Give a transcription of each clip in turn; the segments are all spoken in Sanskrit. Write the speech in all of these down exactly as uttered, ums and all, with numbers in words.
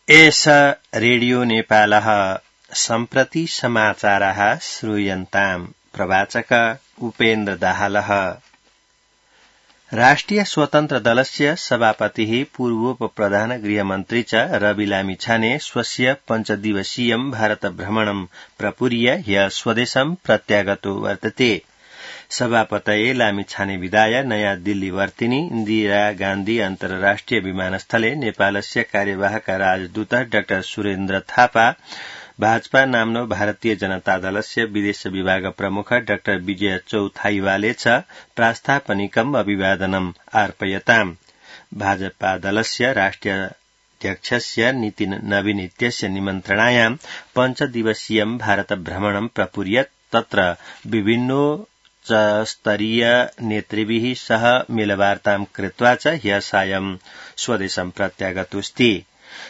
एष रेडियो नेपालः सम्प्रति समाचारः श्रूयन्ताम्। प्रवाचक उपेन्द्र दाहालः। राष्ट्रिय स्वतन्त्र दलस्य सभापतिः पूर्वोपप्रधान गृहमन्त्री च रवि लामिछाने स्वस्य पञ्चदिवसीयं भारतभ्रमणं प्रपूर्य ह्यः स्वदेशं प्रत्यागतो वर्तते। सभापतये लामिछाने विदाय नयाँ दिल्ली वर्तिनी इन्दिरा गान्धी अन्तर्राष्ट्रिय विमानस्थले नेपालस्य कार्यवाहक राजदूत डाक्टर सुरेन्द्र थापा, भाजपा नाम्नो भारतीय जनता दलस्य विदेश विभाग प्रमुख डाक्टर विजय चौथाइवाले च प्रास्तापनिकम् अभिवादनम् अर्पयताम्। भाजपा दलस्य राष्ट्रियाध्यक्षस्य नितिन नवीन इत्यस्य निमन्त्रणायाम् पञ्चदिवसीयं भारतभ्रमणं प्रपूर्यत्। तत्र विभिन्नो स्तरीय नेतृभिः सह मेलवार्तां कृत्वा च ह्यः सायं स्वदेशं प्रत्यागतोऽस्ति।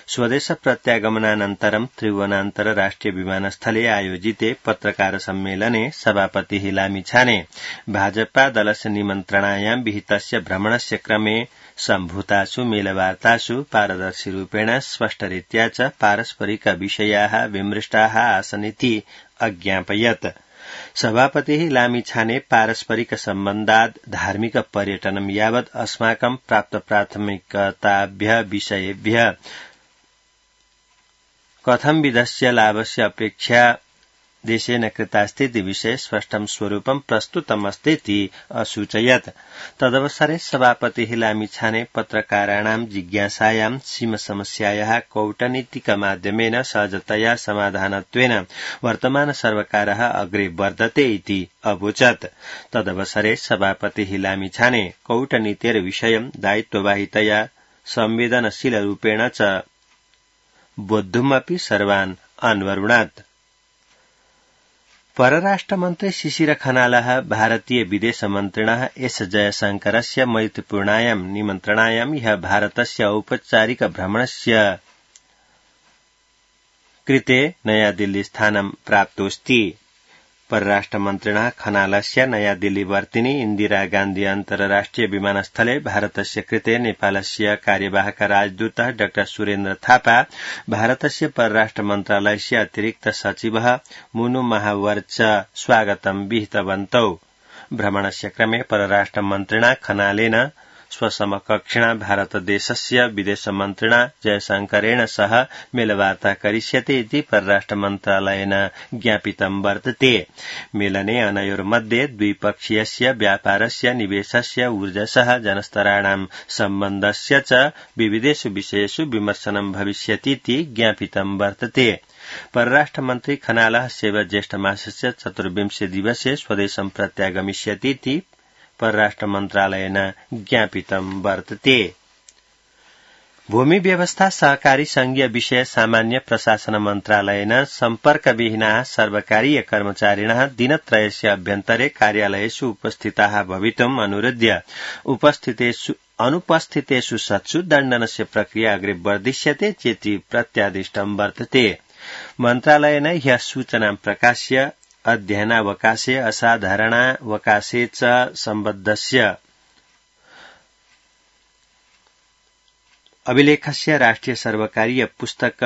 स्वदेश प्रत्यागमनानन्तरं त्रिभुवनान्तर राष्ट्रिय विमानस्थले आयोजिते पत्रकार सम्मेलने सभापतिः लामिछाने भाजपा दलस्य निमन्त्रणायां विहितस्य भ्रमणस्य क्रमे सम्भूतासु मेलवार्तासु पारदर्शिरूपेण स्पष्टरीत्या च पारस्परिक विषयाः विमृष्टाः आसनिति अज्ञापयत्। सभापतिः लामिछाने पारस्परिक सम्बन्धात् धार्मिक पर्यटनं यावत् अस्माकं प्राप्त प्राथमिकताभ्यः विषयेभ्यः कथं विधस्य लाभस्य अपेक्षा देशेन कृतास्तीति विषये स्पष्टं स्वरूपं प्रस्तुतमस्तीति असूचयत्। तदवसरे सभापतिः लामिछाने पत्रकाराणां जिज्ञासायां सीमसमस्यायाः कौटनीतिकमाध्यमेन सहजतया समाधानत्वेन वर्तमान सर्वकारः अग्रे वर्धते इति अवोचत्। तदवसरे सभापतिः लामिछाने कौटनीतेर्विषयं दायित्ववाहितया संवेदनशीलरूपेण च बोद्धुमपि सर्वान् अन्वरुणात्। परराष्ट्रमन्त्री शिशिर खनालः भारतीय विदेशमन्त्रिणः एस जयशंकरस्य मैत्रीपूर्णायां निमन्त्रणायां ह्यः भारतस्य औपचारिक भ्रमणस्य कृते नयादिल्ली स्थानं प्राप्तोऽस्ति। परराष्ट्रमन्त्रिणः खनालस्य नयादिल्ली वर्तिनी इन्दिरा गान्धी अन्तर्राष्ट्रिय विमानस्थले भारतस्य कृते नेपालस्य कार्यवाहक राजदूत डाक्टर सुरेन्द्र थापा, भारतस्य परराष्ट्र मन्त्रालयस्य अतिरिक्त सचिवः मुनु महावर च स्वागतं विहितवन्तौ। भ्रमणस्य क्रमे परराष्ट्रमन्त्रिणा खनालेन स्वसमकक्षिणा भारतदेशस्य विदेशमन्त्रिणा जयशंकरेण सह मेलवार्ता करिष्यते इति परराष्ट्रमन्त्रालयेन ज्ञापितं वर्तते। मेलने अनयोर्मध्ये द्विपक्षीयस्य व्यापारस्य, निवेशस्य, ऊर्जसः जनस्तराणां सम्बन्धस्य च विविधेषु विषयेषु विमर्शनं भविष्यतीति ज्ञापितं वर्तते। परराष्ट्रमन्त्री खनालः सेव ज्येष्ठमासस्य चतुर्विंशे दिवसे स्वदेशं प्रत्यागमिष्यतीति परराष्ट्रमन्त्रालयेन ज्ञापितं वर्तते। भूमि व्यवस्था सहकारी संघीय विषय सामान्य प्रशासन मन्त्रालयेन सम्पर्कविहीनाः सर्वकारीय कर्मचारिणः दिनत्रयस्य अभ्यन्तरे कार्यालयेषु उपस्थिताः भवितुम् अनुरोध्य उपस्थितेषु अनुपस्थितेषु सत्सु दण्डनस्य प्रक्रिया अग्रे वर्धिष्यते चेति प्रत्यादिष्टं वर्तते। मन्त्रालयेन ह्यः सूचनां प्रकाश्य अध्ययनावकाशे असाधारणावकाशे च सम्बद्धस्य अभिलेखस्य राष्ट्रिय सर्वकारीय पुस्तक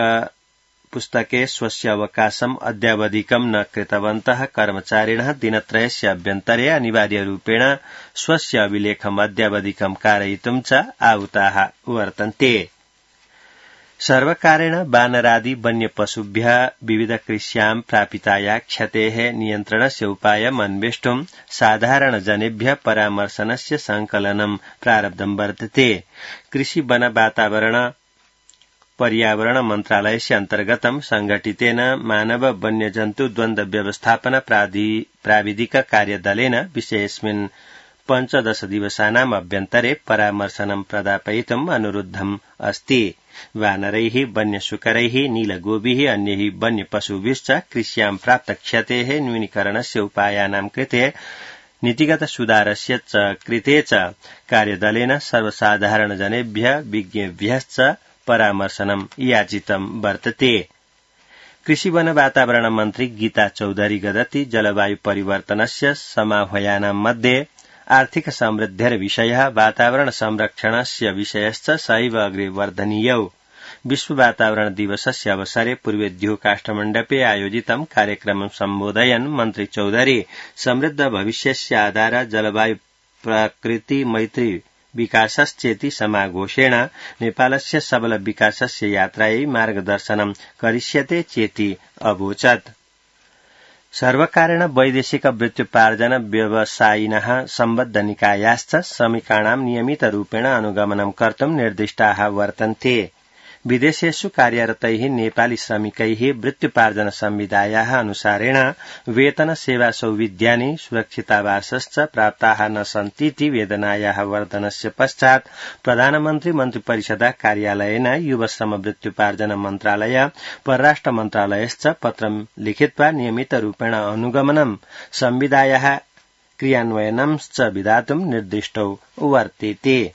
पुस्तके स्वस्य अवकाशम् अद्यावधिकं न कृतवन्तः कर्मचारिणः दिनत्रयस्य अभ्यन्तरे अनिवार्यरूपेण स्वस्य अभिलेखम् अद्यावधिकं कारयितुं च आहुताः वर्तन्ते। सर्वकारेण वानरादि वन्यपशुभ्यः विविधकृष्यां प्रापिताया क्षतेः नियन्त्रणस्य उपायम् अन्वेष्टुं साधारणजनेभ्यः परामर्शनस्य संकलनं प्रारब्धं वर्तते। कृषि वन वातावरण पर्यावरण मन्त्रालयस्य अन्तर्गतं संघटितेन मानव वन्यजन्तु द्वन्द्व व्यवस्थापन प्राविधिक कार्यदलेन विषयेऽस्मिन् पञ्चदश दिवसानाम् अभ्यन्तरे परामर्शनं प्रदापयितुम् अनुरुद्धम् अस्ति। वानरैः, वन्यशुकरैः, नीलगोभिः, अन्यैः वन्यपशुभिश्च कृष्यां प्राप्तक्षतेः न्यूनीकरणस्य उपायानां कृते नीतिगत सुधारस्य च कृते च कार्यदलेन सर्वसाधारणजनेभ्यः विज्ञेभ्यश्च परामर्शनं याचितं वर्तते। कृषि वन वातावरण मन्त्री गीता चौधरी गदति जलवायु परिवर्तनस्य समाह्वयानां मध्ये आर्थिक समृद्धिर्विषयः वातावरण संरक्षणस्य विषयश्च सैव अग्रे वर्धनीयौ। विश्व वातावरण दिवसस्य अवसरे पूर्वेद्युः काष्ठमण्डपे आयोजितं कार्यक्रमं सम्बोधयन् मन्त्री चौधरी समृद्ध भविष्यस्य आधार जलवायु प्रकृति मैत्री विकासश्चेति समाघोषेण नेपालस्य सबल विकासस्य यात्रायै मार्गदर्शनं करिष्यते चेति अवोचत्। सर्वकारेण वैदेशिक वृत्त्युपार्जन व्यवसायिनः सम्बद्धनिकायाश्च श्रमिकाणां नियमितरूपेण अनुगमनं कर्तुं निर्दिष्टाः वर्तन्ते। विदेशेषु कार्यरतैः नेपाली श्रमिकैः वृत्त्युपार्जन संविधायाः अनुसारेण वेतन सेवा सौविध्यानि सुरक्षितावासश्च प्राप्ताः न सन्तीति वेदनायाः वर्धनस्य पश्चात् प्रधानमन्त्री मन्त्रिपरिषदा कार्यालयेन युवश्रम वृत्त्युपार्जन मन्त्रालय परराष्ट्र मन्त्रालयश्च पत्रं लिखित्वा नियमितरूपेण अनुगमनं संविधायाः क्रियान्वयनंश्च विधातुं निर्दिष्टौ वर्तेते।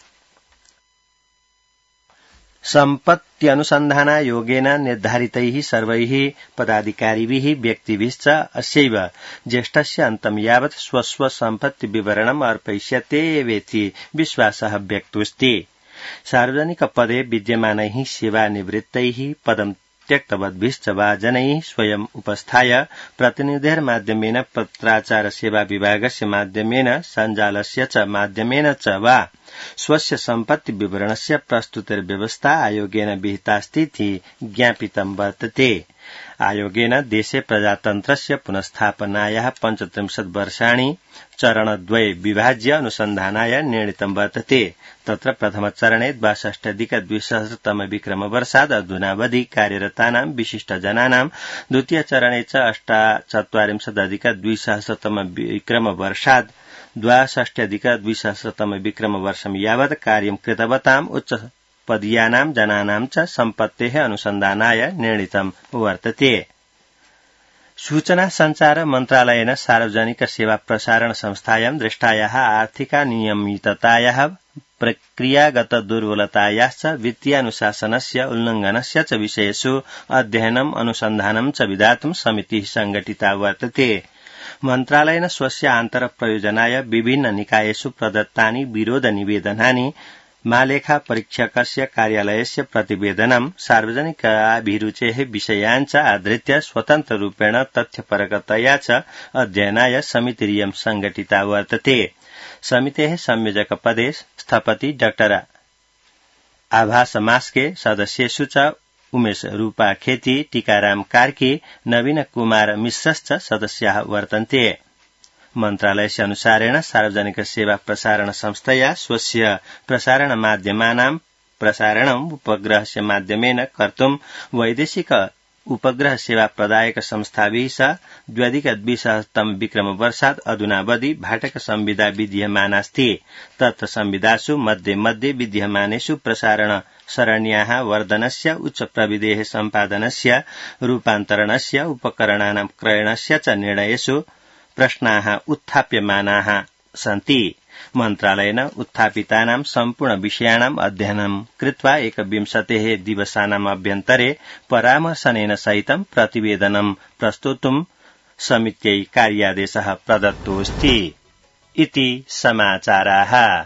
सम्पत्त्यनुसन्धानायोगेन निर्धारितैः सर्वैः पदाधिकारिभिः व्यक्तिभिश्च अस्यैव ज्येष्ठस्य अन्तं यावत् स्वस्व सम्पत्तिविवरणम् अर्पयिष्यतेवेति विश्वासः व्यक्तोऽस्ति। सार्वजनिकपदे विद्यमानैः सेवानिवृत्तैः पदं त्यक्तवद्भिश्च वा जनैः स्वयम् उपस्थाय प्रतिनिधेर्माध्यमेन पत्राचार सेवा विभागस्य माध्यमेन सञ्जालस्य च माध्यमेन च वा स्वस्य सम्पत्ति विवरणस्य प्रस्तुतिर्व्यवस्था आयोगेन विहितास्तीति ज्ञापितं वर्तते। आयोगेन देशे प्रजातन्त्रस्य पुनस्थापनायाः पञ्चत्रिंशत् वर्षाणि चरणद्वये विभाज्य अनुसन्धानाय निर्णीतं वर्तते। तत्र प्रथमचरणे द्वाषष्ट्यधिकद्विसहस्रतम विक्रमवर्षात् अधुनावधि कार्यरतानां विशिष्टजनानां, द्वितीयचरणे च अष्टाचत्वारिंशदधिकद्विसहस्रतम विक्रमवर्षात् द्वाषष्ट्यधिकद्विसहस्रतम विक्रमवर्षं यावत् कार्यं कृतवताम् उच्चपदीयानां जनानां च सम्पत्तेः अनुसन्धानाय निर्णीतं वर्तते। सूचना संचार मन्त्रालयेन सार्वजनिक सेवा प्रसारण संस्थायां दृष्टायाः आर्थिकानियमिततायाः प्रक्रियागत दुर्बलतायाश्च वित्तीयानुशासनस्य उल्लङ्घनस्य च विषयेषु अध्ययनम् अनुसन्धानं च विधातुं समितिः संघटिता वर्तते। मन्त्रालयेन स्वस्य आन्तरप्रयोजनाय विभिन्न निकायेषु प्रदत्तानि विरोधनिवेदनानि मालेखा परीक्षकस्य कार्यालयस्य प्रतिवेदनं सार्वजनिकाभिरुचेः विषयान् च आधृत्य स्वतन्त्ररूपेण तथ्यपरकतया च अध्ययनाय समितिरियं संघटिता वर्तते। समितेः संयोजकपदे स्थपति डॉ आभास मास्के, सदस्येषु च उमेश रूपा खेती, टीकाराम कार्की, नवीन कुमार मिश्रश्च सदस्याः वर्तन्ते। मन्त्रालयस्य अनुसारेण सार्वजनिक सेवा प्रसारण संस्थया स्वस्य प्रसारण माध्यमानां प्रसारणम् उपग्रहस्य माध्यमेन कर्तुं वैदेशिक उपग्रह सेवा प्रदायक संस्थाभिः सह द्व्यधिकद्विसहस्रतम विक्रमवर्षात् अधुनावधि भाटक संविदा विद्यमानास्ति। तत्र संविदासु मध्ये मध्ये विद्यमानेषु प्रसारण सरण्याः वर्धनस्य, उच्च प्रविधेः सम्पादनस्य, रूपान्तरणस्य, उपकरणानां क्रयणस्य च निर्णयेषु प्रश्नाः उत्थाप्यमानाः सन्ति। मन्त्रालयेन उत्थापितानां सम्पूर्ण विषयाणाम् अध्ययनं कृत्वा एकविंशतेः दिवसानाम् अभ्यन्तरे परामर्शनेन सहितं प्रतिवेदनं प्रस्तोतुं समित्यै कार्यादेशः प्रदत्तोऽस्ति इति समाचाराः।